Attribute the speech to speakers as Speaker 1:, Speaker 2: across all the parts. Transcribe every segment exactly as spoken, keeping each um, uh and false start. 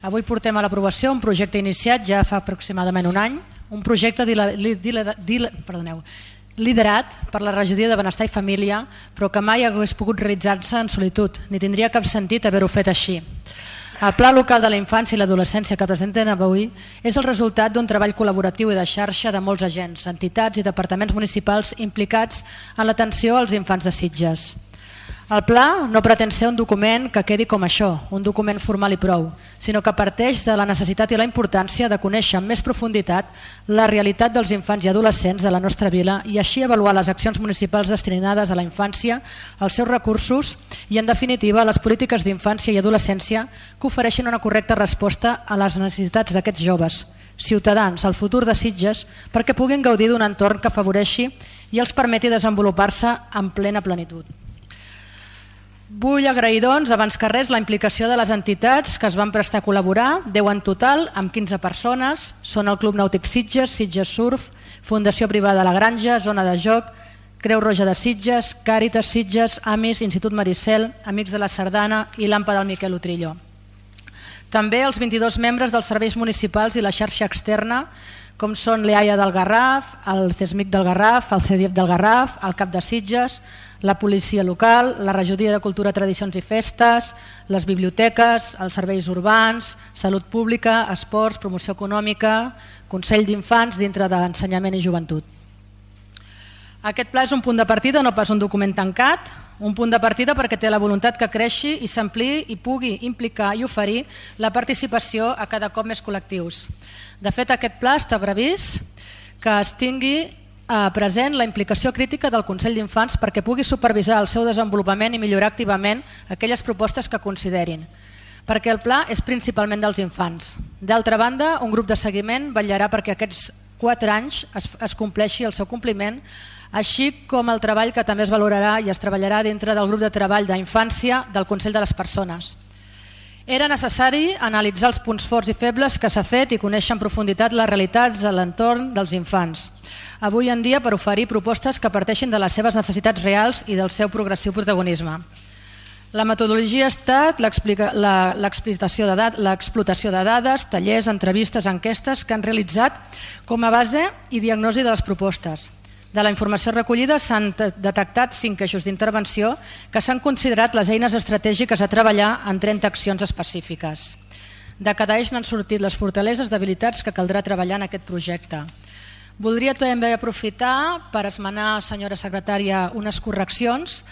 Speaker 1: Avui portem a l'aprovació un projecte iniciat ja fa aproximadament un any, un projecte liderat per la Regidoria de Benestar i Família, però que mai hagués pogut realitzar-se en solitud, ni tindria cap sentit haver-ho fet així. El Pla Local de la Infància i l'Adolescència que presenten avui és el resultat d'un treball col·laboratiu i de xarxa de molts agents, entitats i departaments municipals implicats en l'atenció als infants de Sitges. El pla no pretén ser un document que quedi com això, un document formal i prou, sinó que parteix de la necessitat i la importància de conèixer amb més profunditat la realitat dels infants i adolescents de la nostra vila i així avaluar les accions municipals destinades a la infància, els seus recursos i, en definitiva, les polítiques d'infància i adolescència que ofereixin una correcta resposta a les necessitats d'aquests joves, ciutadans, al futur de Sitges, perquè puguin gaudir d'un entorn que afavoreixi i els permeti desenvolupar-se en plena plenitud. Vull agrair, doncs, abans que res, la implicació de les entitats que es van prestar a col·laborar, deu en total, amb quinze persones. Són el Club Nàutic Sitges, Sitges Surf, Fundació Privada La Granja, Zona de Joc, Creu Roja de Sitges, Càritas Sitges, Amis, Institut Maricel, Amics de la Sardana i l'Ampa del Miquel Utrillo. També els vint-i-dos membres dels serveis municipals i la xarxa externa, com són l'E A I A del Garraf, el CESMIC del Garraf, el C E D I E F del Garraf, el CAP de Sitges, la policia local, la Regidoria de Cultura, Tradicions i Festes, les biblioteques, els serveis urbans, salut pública, esports, promoció econòmica, Consell d'Infants dintre d'Ensenyament i Joventut. Aquest pla és un punt de partida, no pas un document tancat, un punt de partida perquè té la voluntat que creixi i s'ampliï i pugui implicar i oferir la participació a cada cop més col·lectius. De fet, aquest pla està previst que es tingui present la implicació crítica del Consell d'Infants perquè pugui supervisar el seu desenvolupament i millorar activament aquelles propostes que considerin, perquè el pla és principalment dels infants. D'altra banda, un grup de seguiment vetllarà perquè aquests quatre anys es, es compleixi el seu compliment, així com el treball que també es valorarà i es treballarà dintre del grup de treball d'infància del Consell de les Persones. Era necessari analitzar els punts forts i febles que s'ha fet i conèixer en profunditat les realitats de l'entorn dels infants. Avui en dia per oferir propostes que parteixin de les seves necessitats reals i del seu progressiu protagonisme. La metodologia ha estat l'explotació de, l'explotació de dades, tallers, entrevistes, enquestes que han realitzat com a base i diagnosi de les propostes. De la informació recollida s'han detectat cinc eixos d'intervenció que s'han considerat les eines estratègiques a treballar en trenta accions específiques. De cada eix n'han sortit les fortaleses, debilitats que caldrà treballar en aquest projecte. Voldria també aprofitar per esmenar, senyora secretària, unes correccions.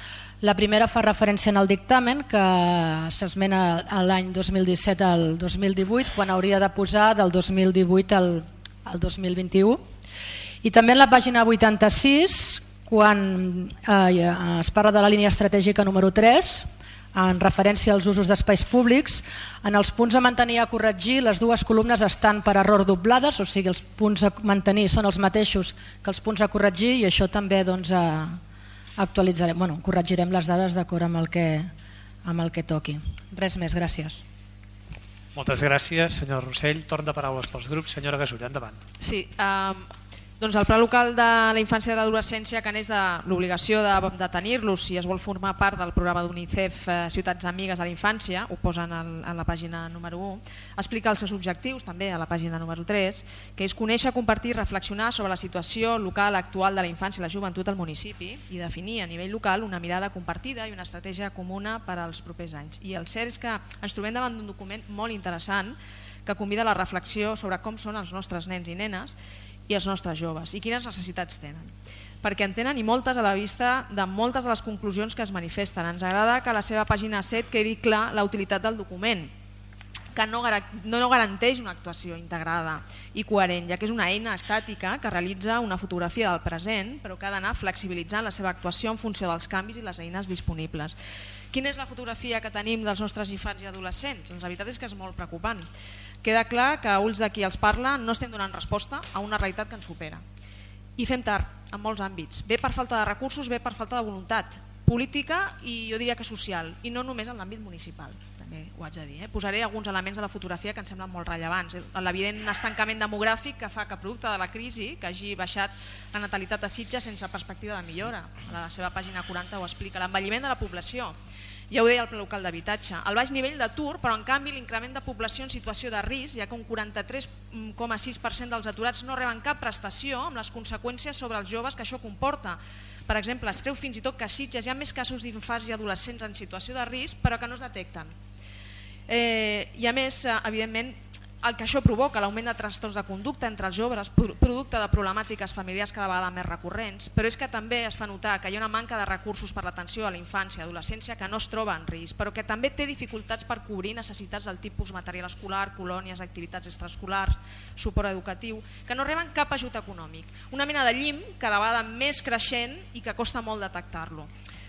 Speaker 1: La primera fa referència en el dictamen que s'esmena l'any dos mil disset al dos mil divuit quan hauria de posar del dos mil divuit al dos mil vint-i-u. I també en la pàgina vuitanta-sis, quan eh, es parla de la línia estratègica número tres, en referència als usos d'espais públics, en els punts a mantenir i a corregir les dues columnes estan per error doblades, o sigui els punts a mantenir són els mateixos que els punts a corregir i això també doncs, actualitzarem, bueno, corregirem les dades d'acord amb el que, amb el que toqui. Res més, gràcies.
Speaker 2: Moltes gràcies, senyor Rossell. Torn de paraules pels grups. Senyora Gasulla, endavant.
Speaker 3: Sí, eh, doncs el Pla Local de la Infància i de l'Adolescència, que n'és de l'obligació de, de tenir-los si es vol formar part del programa d'UNICEF eh, Ciutats Amigues de la Infància, ho posen en, en la pàgina número u, explica els seus objectius també a la pàgina número tres, que és conèixer, compartir i reflexionar sobre la situació local actual de la infància i la joventut al municipi i definir a nivell local una mirada compartida i una estratègia comuna per als propers anys. I el cert és que ens trobem davant d'un document molt interessant que convida a la reflexió sobre com són els nostres nens i nenes i els nostres joves i quines necessitats tenen. Perquè en tenen i moltes a la vista de moltes de les conclusions que es manifesten. Ens agrada que a la seva pàgina set quedi clar la utilitat del document, que no, no garanteix una actuació integrada i coherent, ja que és una eina estàtica que realitza una fotografia del present, però que ha d'anar flexibilitzant la seva actuació en funció dels canvis i les eines disponibles. Quina és la fotografia que tenim dels nostres infants i adolescents? Doncs la veritat és que és molt preocupant. Queda clar que a ulls de qui els parla no estem donant resposta a una realitat que ens supera. I fem tard, en molts àmbits. Bé per falta de recursos, bé per falta de voluntat política i jo diria que social, i no només en l'àmbit municipal. També ho haig de dir. Eh? Posaré alguns elements de la fotografia que em semblen molt rellevants. L'evident estancament demogràfic que fa que producte de la crisi, que hagi baixat la natalitat a Sitges sense perspectiva de millora. A la seva pàgina quaranta ho explica. L'envelliment de la població Ja ho deia el pla local d'habitatge. El baix nivell d'atur, però en canvi l'increment de població en situació de risc, ja que un quaranta-tres coma sis per cent dels aturats no reben cap prestació, amb les conseqüències sobre els joves que això comporta. Per exemple, es creu fins i tot que a Sitges hi ha més casos d'infants i adolescents en situació de risc, però que no es detecten. Eh, I a més, evidentment, el que això provoca, l'augment de trastorns de conducta entre els joves, producte de problemàtiques familiars cada vegada més recurrents, però és que també es fa notar que hi ha una manca de recursos per l'atenció a la infància i adolescència que no es troba en risc, però que també té dificultats per cobrir necessitats del tipus material escolar, colònies, activitats extraescolars, suport educatiu, que no reben cap ajut econòmic. Una mena de llim cada vegada més creixent i que costa molt detectar-lo.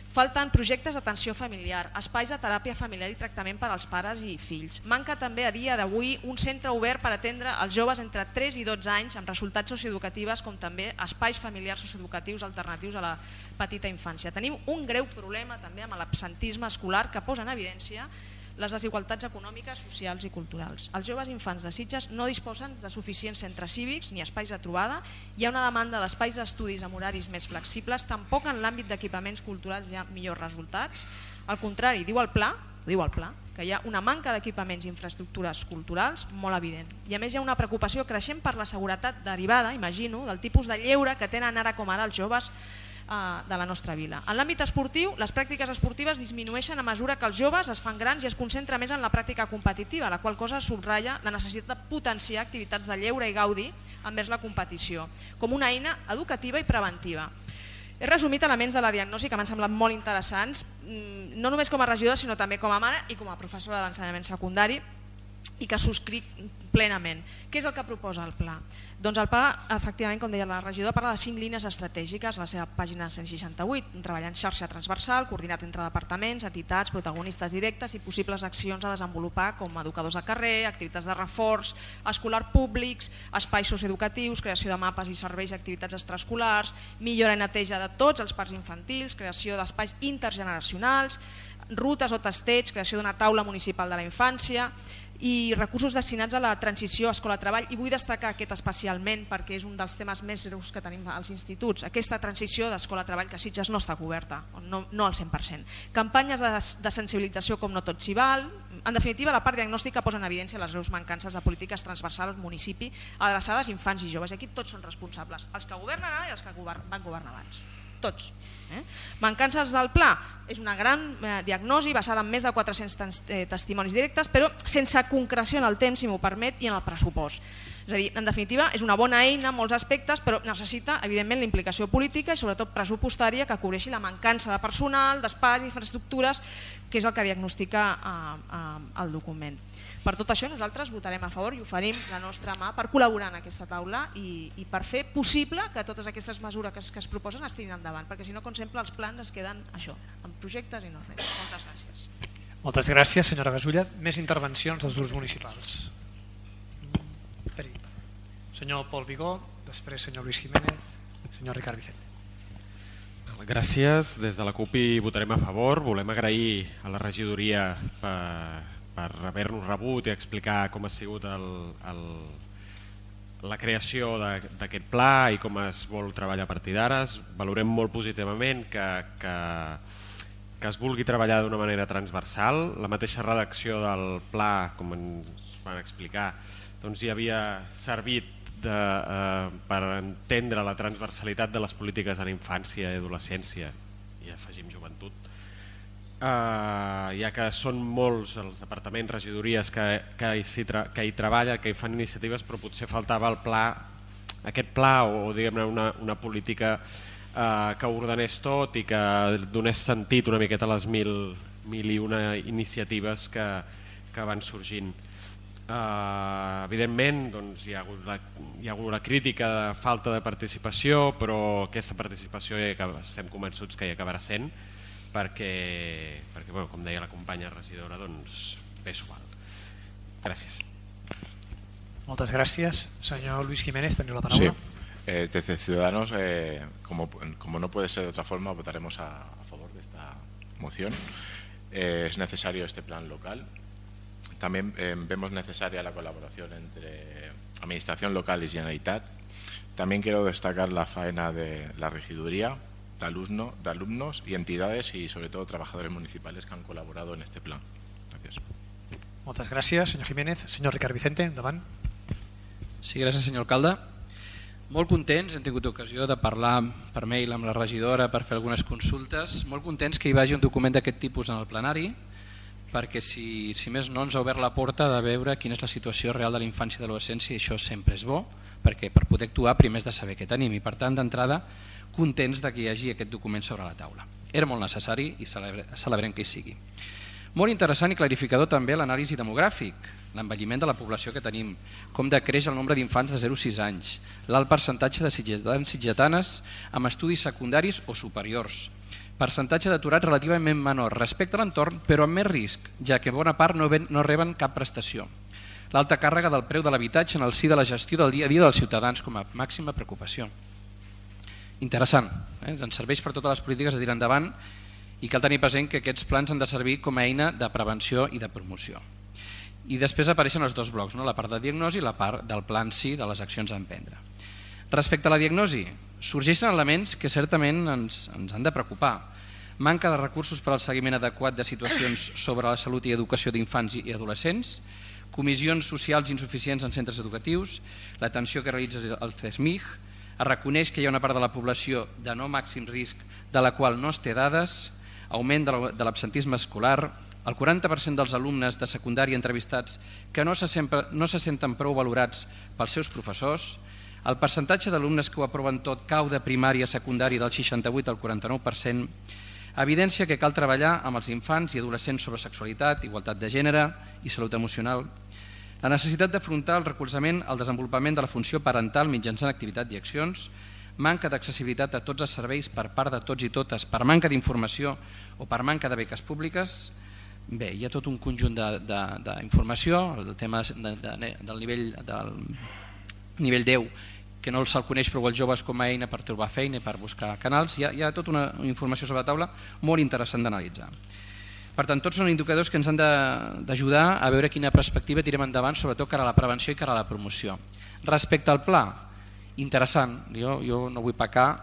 Speaker 3: Falten projectes d'atenció familiar, espais de teràpia familiar i tractament per als pares i fills. Manca també a dia d'avui un centre obert per atendre els joves entre tres i dotze anys amb resultats socioeducatives, com també espais familiars socioeducatius alternatius a la petita infància. Tenim un greu problema també amb l'absentisme escolar que posa en evidència les desigualtats econòmiques, socials i culturals. Els joves infants de Sitges no disposen de suficients centres cívics ni espais de trobada, hi ha una demanda d'espais d'estudis amb horaris més flexibles, tampoc en l'àmbit d'equipaments culturals hi ha millors resultats. Al contrari, diu el pla, diu el pla, que hi ha una manca d'equipaments i infraestructures culturals molt evident. I a més hi ha una preocupació creixent per la seguretat derivada, imagino, del tipus de lleure que tenen ara com ara els joves de la nostra vila. En l'àmbit esportiu, les pràctiques esportives disminueixen a mesura que els joves es fan grans i es concentra més en la pràctica competitiva, la qual cosa subratlla la necessitat de potenciar activitats de lleure i gaudi envers la competició, com una eina educativa i preventiva. He resumit elements de la diagnosi que m'han semblat molt interessants, no només com a regidora, sinó també com a mare i com a professora d'ensenyament secundari, i que subscric plenament. Què és el que proposa el pla? Doncs el pla, efectivament, com deia la regidora, parla de cinc línies estratègiques a la seva pàgina cent seixanta-vuit, treballar en xarxa transversal, coordinat entre departaments, entitats, protagonistes directes i possibles accions a desenvolupar com educadors de carrer, activitats de reforç, escolar públics, espais socioeducatius, creació de mapes i serveis i activitats extraescolars, millora i neteja de tots els parcs infantils, creació d'espais intergeneracionals, rutes o testeig, creació d'una taula municipal de la infància, i recursos destinats a la transició escola-treball, i vull destacar aquest especialment perquè és un dels temes més greus que tenim als instituts, aquesta transició d'escola-treball que a Sitges no està coberta, no, no al cent per cent. Campanyes de, de sensibilització com no tot s'hi val, en definitiva la part diagnòstica posa en evidència les greus mancances de polítiques transversals al municipi adreçades a infants i joves, i aquí tots són responsables, els que governen ara i els que van governar abans, tots. Eh? Mancances del pla, és una gran eh, diagnosi basada en més de quatre-cents eh, testimonis directes, però sense concreció en el temps, si m'ho permet, i en el pressupost. És a dir, en definitiva, és una bona eina en molts aspectes, però necessita, evidentment, la implicació política i sobretot pressupostària que cobreixi la mancança de personal, d'espais i infraestructures, que és el que diagnostica eh, eh, el document. Per tot això nosaltres votarem a favor i oferim la nostra mà per col·laborar en aquesta taula i, i per fer possible que totes aquestes mesures que es, que es proposen es tirin endavant, perquè si no, com sempre, els plans es queden això, en projectes i no res. Moltes gràcies.
Speaker 2: Moltes gràcies, senyora Gasulla. Més intervencions dels grups municipals. Senyor Pol Vigó, després senyor Luis Jiménez, senyor Ricard Vicente.
Speaker 4: Gràcies. Des de la CUP hi votarem a favor. Volem agrair a la regidoria per... per haver-nos rebut i explicar com ha sigut el, el, la creació d'aquest pla i com es vol treballar a partir d'ara. Valorem molt positivament que, que, que es vulgui treballar d'una manera transversal. La mateixa redacció del pla, com ens van explicar, doncs hi havia servit de, eh, per entendre la transversalitat de les polítiques de la infància i adolescència, i afegim joventut. Uh, ja que són molts els departaments, regidories que, que, hi, que hi treballen, que hi fan iniciatives, però potser faltava el pla, aquest pla o, o diguem-ne una, una política uh, que ordenés tot i que donés sentit una miqueta a les mil, mil i una iniciatives que, que van sorgint. Uh, evidentment doncs, hi, ha hagut la, hi ha hagut la crítica de falta de participació, però aquesta participació ja estem convençuts que hi acabarà sent, perquè, perquè bueno, com deia la companya regidora, doncs bé s'ho val. Gràcies.
Speaker 2: Moltes gràcies. Senyor Luis Jiménez, teniu la paraula.
Speaker 5: Sí. Eh, desde Ciudadanos, eh, como, como no puede ser de otra forma, votaremos a, a favor de esta moción. Eh, es necesario este plan local. También eh, vemos necesaria la colaboración entre Administración local y Generalitat. También quiero destacar la faena de la regiduría, de, alumno, de alumnos y entidades y sobre todo trabajadores municipales que han colaborado en este plan. Gracias.
Speaker 2: Moltes gràcies, senyor Jiménez. Senyor Ricard Vicente, endavant.
Speaker 6: Sí, gràcies, senyor alcalde. Molt contents, hem tingut ocasió de parlar per mail amb la regidora per fer algunes consultes. Molt contents que hi vagi un document d'aquest tipus en el plenari, perquè si, si més no ens ha obert la porta de veure quina és la situació real de la infància i de l'adolescència, i això sempre és bo, perquè per poder actuar primer és de saber què tenim, i per tant d'entrada contents de que hi hagi aquest document sobre la taula. Era molt necessari i celebre, celebrem que hi sigui. Molt interessant i clarificador també l'anàlisi demogràfic, l'envelliment de la població que tenim, com decreix el nombre d'infants de zero a sis anys, l'alt percentatge de sitgetans i sitgetanes amb estudis secundaris o superiors, percentatge d'aturats relativament menor respecte a l'entorn, però amb més risc, ja que bona part no, ven, no reben cap prestació. L'alta càrrega del preu de l'habitatge en el si de la gestió del dia a dia dels ciutadans com a màxima preocupació. Interessant, eh? Ens serveix per totes les polítiques a tirar endavant i cal tenir present que aquests plans han de servir com a eina de prevenció i de promoció. I després apareixen els dos blocs, no? La part de diagnosi i la part del pla en si de les accions a emprendre. Respecte a la diagnosi, sorgeixen elements que certament ens, ens han de preocupar. Manca de recursos per al seguiment adequat de situacions sobre la salut i educació d'infants i adolescents, comissions socials insuficients en centres educatius, l'atenció que realitza el C E S M I G, es reconeix que hi ha una part de la població de no màxim risc de la qual no es té dades, augment de l'absentisme escolar, el quaranta per cent dels alumnes de secundària entrevistats que no se, sempre, no se senten prou valorats pels seus professors, el percentatge d'alumnes que ho aproven tot cau de primària a secundària del seixanta-vuit al quaranta-nou per cent, evidència que cal treballar amb els infants i adolescents sobre sexualitat, igualtat de gènere i salut emocional, la necessitat d'afrontar el recolzament al desenvolupament de la funció parental mitjançant activitat i accions, manca d'accessibilitat a tots els serveis per part de tots i totes per manca d'informació o per manca de beques públiques. Bé, hi ha tot un conjunt d'informació, el tema de, de, del nivell del nivell deu, que no se'l coneix prou els joves com a eina per trobar feina i per buscar canals, hi ha, hi ha tota una informació sobre la taula molt interessant d'analitzar. Per tant, tots són indicadors que ens han d'ajudar a veure quina perspectiva tirem endavant, sobretot cara a la prevenció i cara a la promoció. Respecte al pla, interessant, jo, jo no vull pecar,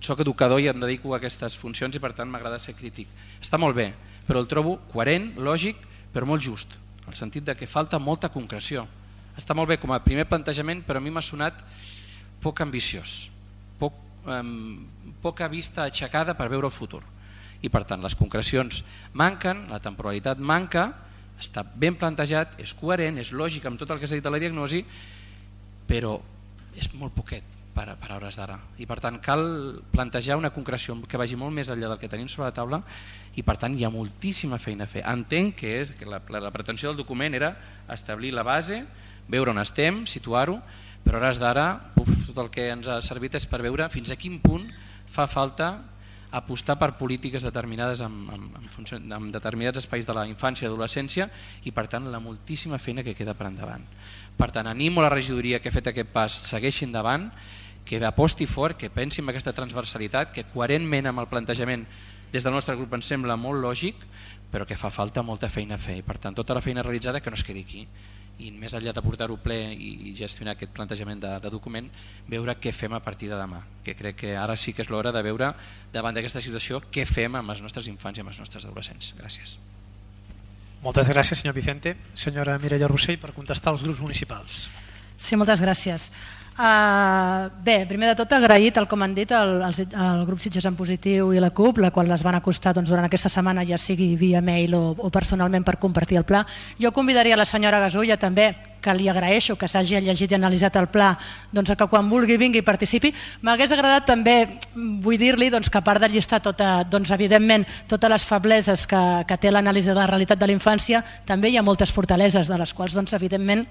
Speaker 6: soc educador i em dedico a aquestes funcions i per tant m'agrada ser crític. Està molt bé, però el trobo coherent, lògic, però molt just, en el sentit de que falta molta concreció. Està molt bé com a primer plantejament, però a mi m'ha sonat poc ambiciós, poc, eh, poca vista aixecada per veure el futur. I per tant les concrecions manquen, la temporalitat manca, està ben plantejat, és coherent, és lògic amb tot el que s'ha dit a la diagnosi, però és molt poquet per, per a hores d'ara. I per tant cal plantejar una concreció que vagi molt més enllà del que tenim sobre la taula i per tant hi ha moltíssima feina a fer. Entenc que, és, que la, la pretensió del document era establir la base, veure on estem, situar-ho, però a hores d'ara tot el que ens ha servit és per veure fins a quin punt fa falta apostar per polítiques determinades en, en, en, en determinats espais de la infància i adolescència i per tant la moltíssima feina que queda per endavant. Per tant, animo a la regidoria que ha fet aquest pas, segueixi endavant, que aposti fort, que pensi en aquesta transversalitat, que coherentment amb el plantejament des del nostre grup ens sembla molt lògic, però que fa falta molta feina a fer. I per tant, tota la feina realitzada que no es quedi aquí. I més enllà de portar-ho ple i gestionar aquest plantejament de, de document, veure què fem a partir de demà, que crec que ara sí que és l'hora de veure davant d'aquesta situació què fem amb els nostres infants i amb els nostres adolescents. Gràcies.
Speaker 2: Moltes gràcies, senyor Vicente. Senyora Mireia Rossell, per contestar als grups municipals.
Speaker 1: Sí, moltes gràcies. Uh, bé, primer de tot agrair, tal com han dit, el, el, el grup Sitges en Positiu i la CUP, la qual les van acostar doncs, durant aquesta setmana, ja sigui via mail o, o personalment per compartir el pla. Jo convidaria la senyora Gasulla també, que li agraeixo que s'hagi llegit i analitzat el pla, doncs, que quan vulgui vingui i participi. M'hagués agradat també, vull dir-li doncs, que a part de llistar tota, doncs, evidentment totes les febleses que, que té l'anàlisi de la realitat de la infància, també hi ha moltes fortaleses, de les quals doncs, evidentment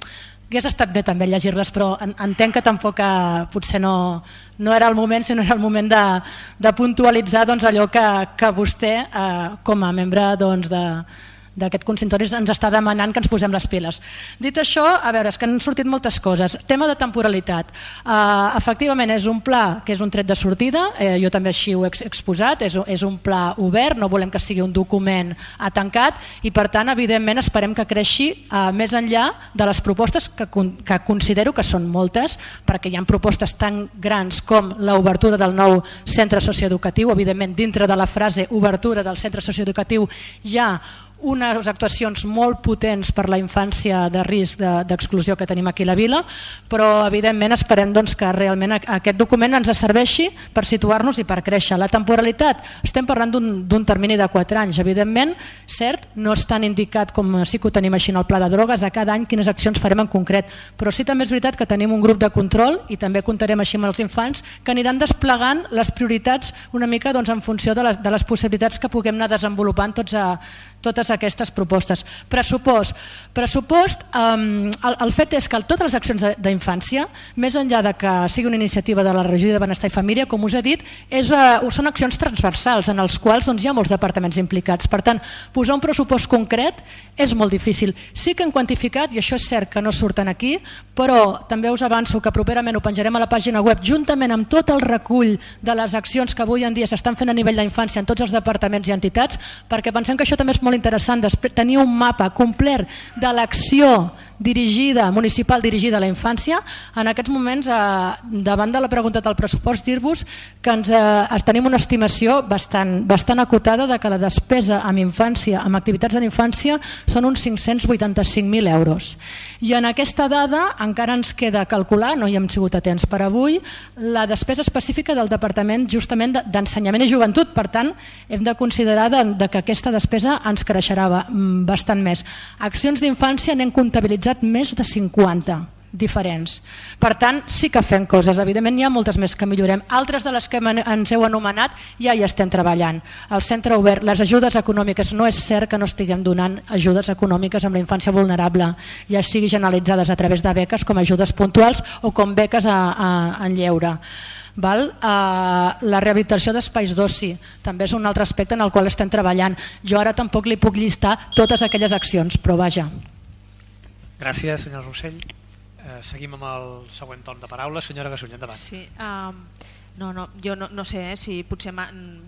Speaker 1: hagués estat bé també llegir-les, però entenc que tampoc eh, potser no, no era el moment, sinó era el moment de, de puntualitzar doncs, allò que, que vostè, eh, com a membre doncs, de, d'aquest consistori ens està demanant que ens posem les piles. Dit això, a veure, és que han sortit moltes coses. Tema de temporalitat. Uh, efectivament, és un pla que és un tret de sortida, eh, jo també així ho he exposat, és, és un pla obert, no volem que sigui un document tancat i per tant, evidentment, esperem que creixi uh, més enllà de les propostes que, que considero que són moltes, perquè hi ha propostes tan grans com l'obertura del nou centre socioeducatiu. Evidentment, dintre de la frase obertura del centre socioeducatiu hi ha unes actuacions molt potents per la infància de risc d'exclusió que tenim aquí a la vila, però evidentment esperem doncs, que realment aquest document ens serveixi per situar-nos i per créixer. La temporalitat, estem parlant d'un termini de quatre anys, evidentment, cert, no és tan indicat com sí que ho tenim així en el pla de drogues, a cada any quines accions farem en concret, però sí també és veritat que tenim un grup de control i també comptarem així amb els infants que aniran desplegant les prioritats una mica doncs, en funció de les, de les possibilitats que puguem anar desenvolupant tots a, totes aquestes propostes. Pressupost. Pressupost, um, el, el fet és que totes les accions d'infància, més enllà de que sigui una iniciativa de la Regió de Benestar i Família, com us he dit, és, uh, són accions transversals en els quals doncs, hi ha molts departaments implicats. Per tant, posar un pressupost concret és molt difícil. Sí que hem quantificat, i això és cert que no surten aquí, però també us avanço que properament ho penjarem a la pàgina web juntament amb tot el recull de les accions que avui en dia s'estan fent a nivell d'infància en tots els departaments i entitats, perquè pensem que això també és molt interessant, tenir un mapa complet de l'acció dirigida, municipal dirigida a la infància. En aquests moments, eh, davant de la pregunta del pressupost, dir-vos que ens, eh, tenim una estimació bastant, bastant acotada de que la despesa en infància, en activitats de infància, són uns cinc-cents vuitanta-cinc mil euros. I en aquesta dada encara ens queda calcular, no hi hem sigut atents per avui, la despesa específica del Departament justament d'Ensenyament i Joventut. Per tant, hem de considerar de, de que aquesta despesa ens creixerà bastant més. Accions d'infància n'hem comptabilitzat més de cinquanta diferents. Per tant, sí que fem coses. Evidentment, hi ha moltes més que millorem. Altres de les que ens heu anomenat ja hi estem treballant. El centre obert, les ajudes econòmiques, no és cert que no estiguem donant ajudes econòmiques amb la infància vulnerable, ja sigui generalitzades a través de beques com ajudes puntuals o com beques a, a, en lleure. Val? Uh, la rehabilitació d'espais d'oci també és un altre aspecte en el qual estem treballant. Jo ara tampoc li puc llistar totes aquelles accions, però vaja.
Speaker 2: Gràcies, senyor Rossell. Eh, seguim amb el següent torn de paraula. Senyora Gasull, endavant.
Speaker 3: Sí, um, no, no, jo no, no sé eh, si potser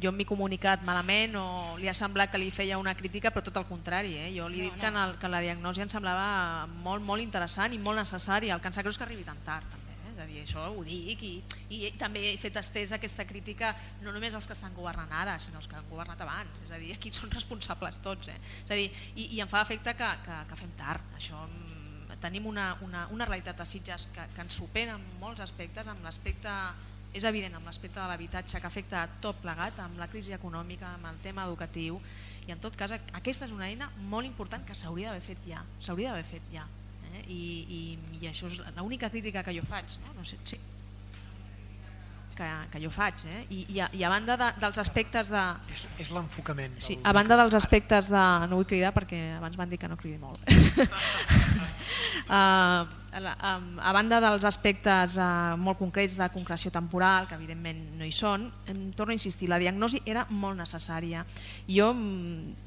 Speaker 3: jo m'he comunicat malament o li ha semblat que li feia una crítica, però tot el contrari. Eh? Jo li he dit no, no. Que, en el, que la diagnosi em semblava molt, molt interessant i molt necessari. El que em sap greu és que arribi tan tard. També. És a dir, això ho dic i, i també he fet estesa aquesta crítica no només als que estan governant ara, sinó als que han governat abans. És a dir, aquí són responsables tots. Eh? És a dir, i, i em fa efecte que, que, que fem tard. Això tenim una, una, una realitat de Sitges que, que ens supera en molts aspectes, amb l'aspecte, és evident, amb l'aspecte de l'habitatge que afecta tot plegat, amb la crisi econòmica, amb el tema educatiu, i en tot cas aquesta és una eina molt important que s'hauria d'haver fet ja, s'hauria d'haver fet ja. Eh? I, i, I això és l'única crítica que jo faig, no? No sé, sí. Que, que jo faig, eh? I, i, a, i a banda de, dels aspectes de...
Speaker 2: És, és l'enfocament.
Speaker 3: Sí, a banda dels aspectes de... No vull cridar perquè abans m'han dit que no cridi molt. uh, a banda dels aspectes uh, molt concrets de concreció temporal, que evidentment no hi són, em torno a insistir, la diagnosi era molt necessària. Jo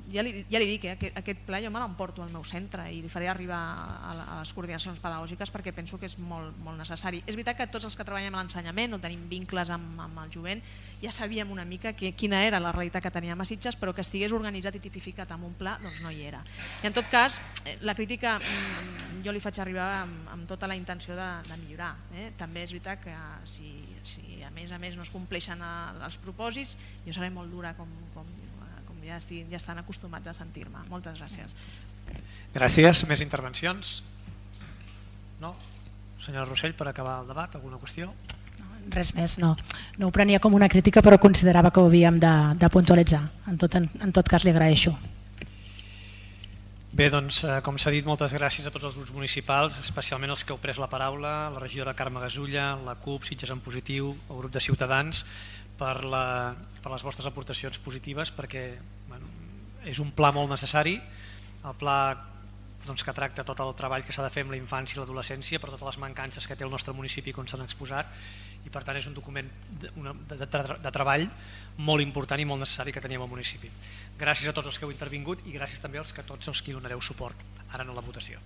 Speaker 3: ja li, ja li dic, eh, aquest, aquest pla jo me l'emporto al meu centre i li faré arribar a, a les coordinacions pedagògiques perquè penso que és molt, molt necessari. És veritat que tots els que treballem a l'ensenyament o tenim vincles amb, amb el jovent ja sabíem una mica que, quina era la realitat que teníem a Sitges, però que estigués organitzat i tipificat amb un pla, doncs no hi era. I en tot cas, la crítica jo li faig arribar amb, amb tota la intenció de, de millorar. Eh? També és veritat que si, si a més a més no es compleixen els propòsits, jo seré molt dura com, com, com ja, estic, ja estan acostumats a sentir-me. Moltes gràcies.
Speaker 2: Gràcies. Més intervencions? No? Senyora Rossell, per acabar el debat, alguna qüestió?
Speaker 1: Res més, no. No ho prenia com una crítica, però considerava que ho havíem de, de puntualitzar. En tot, en, en tot cas, li agraeixo.
Speaker 2: Bé, doncs, eh, com s'ha dit, moltes gràcies a tots els grups municipals, especialment els que heu pres la paraula, la regidora Carme Gasulla, la CUP, Sitges en Positiu, el grup de Ciutadans, per, la, per les vostres aportacions positives, perquè bueno, és un pla molt necessari, el pla doncs, que tracta tot el treball que s'ha de fer amb la infància i l'adolescència, per totes les mancances que té el nostre municipi com s'han exposat, i per tant és un document de, una, de, de, de treball molt important i molt necessari que teníem al municipi. Gràcies a tots els que heu intervingut i gràcies també als que tots els que hi donareu suport ara en la votació.